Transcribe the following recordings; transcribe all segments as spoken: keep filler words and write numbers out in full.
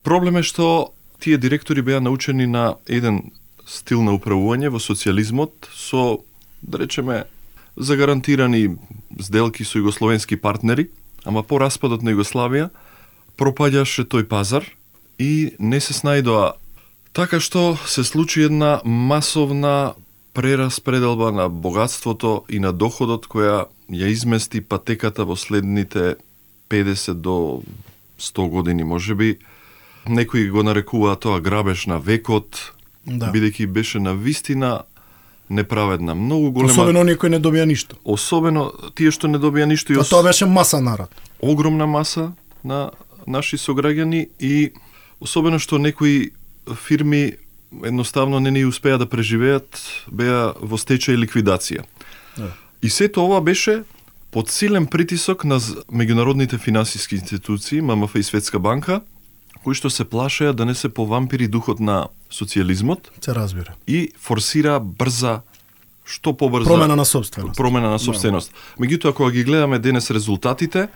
Проблем е што тие директори беа научени на еден стил на управување во социјализмот со, да речеме, загарантирани сделки со југословенски партнери, ама по распадот на Југославија пропаѓаше тој пазар и не се снајдоа. Така што се случи една масовна прераспределба на богатството и на доходот која ја измести патеката во следните педесет до сто години можеби. Некои го нарекуваат тоа грабеж на векот, да. Бидејќи беше на вистина неправедна, многу голема. Особено оние кои не добија ништо. Особено тие што не добија ништо. А тоа беше маса народ. Огромна маса на наши сограѓани и особено што некои фирми едноставно не ни успеа да преживеат, беа во стечај и ликвидација. Да. И сето ова беше под силен притисок на меѓународните финансиски институции, М М Ф и Светска банка, кои што се плашеа да не се повампири духот на социјализмот. Се разбира. И форсира брза, што побрза промена на собственост. Промена на собственост. No. Меѓутоа кога ги гледаме денес резултатите,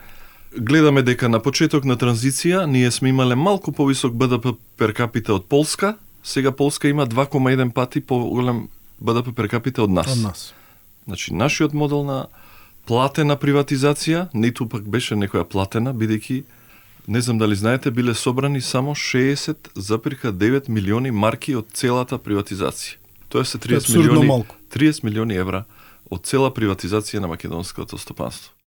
гледаме дека на почеток на транзиција ние сме имале малку повисок Б Д П пер капита од Полска, сега Полска има два кома еден пати поголем Б Д П пер капита од нас. Од нас. Значи нашиот модел на платена приватизација, ниту пак беше некоја платена, бидејќи не знам дали знаете, биле собрани само шеесет запирка девет милиони марки од целата приватизација. Тоа се триесет милиони, триесет милиони евра од цела приватизација на македонското стопанство.